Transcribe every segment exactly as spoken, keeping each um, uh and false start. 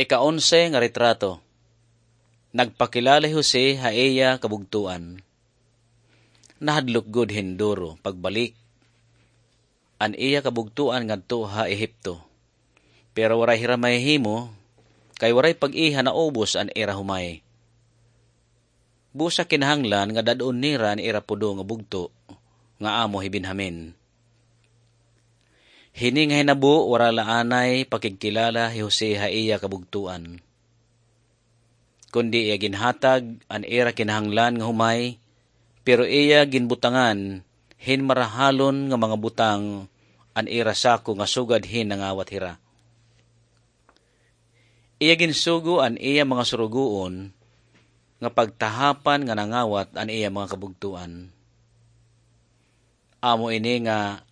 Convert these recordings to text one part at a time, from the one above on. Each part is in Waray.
Ika-onse nga retrato. Nagpakilala hi Jose ha iya kabugtoan. Nahadlok gud hin duro pagbalik an iya kabugtoan ngadto ha Ehipto. Pero waray hira mahihimo, kay waray pag-iha naubos an ira humay. Busa kinahanglan nga dad-on nira an ira pudo nga bugto, nga amo hi Benjamin. Hini nga hinabo, wara la anay pakigkilala hi Jose ha iya kabugtoan. Kundi iya ginhatag an ira kinahanglan nga humay, pero iya ginbutangan hin marahalon nga mga butang an ira sako nga sugad hin nangawat hira. Iya ginsugo an iya mga surugoon nga pagtahapan nga nangawat an iya mga kabugtoan. Amo ini nga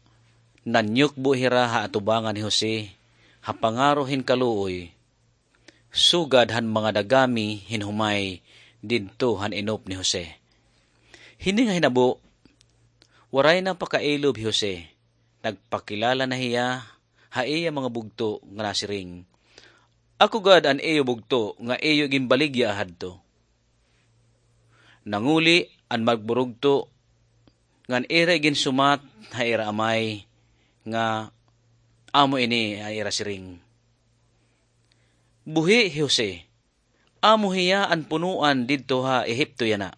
nanyukbo hira ha atubangan ni Jose, ha pangaro hin kaluoy, sugad han mga dagami hin humay didto han inop ni Jose. Hini nga hinabo, waray na pakailob hi Jose. Nagpakilala na hiya ha iya mga bugto nga nasiring, "Ako gad an iyo bugto nga iyo ginbaligya hadto." Nanguli an magburugto ngan ira iginsumat ha ira amay nga amo ini an ira siring, "Buhi hi Jose, amo hiya an punoan didto ha Ehipto yana."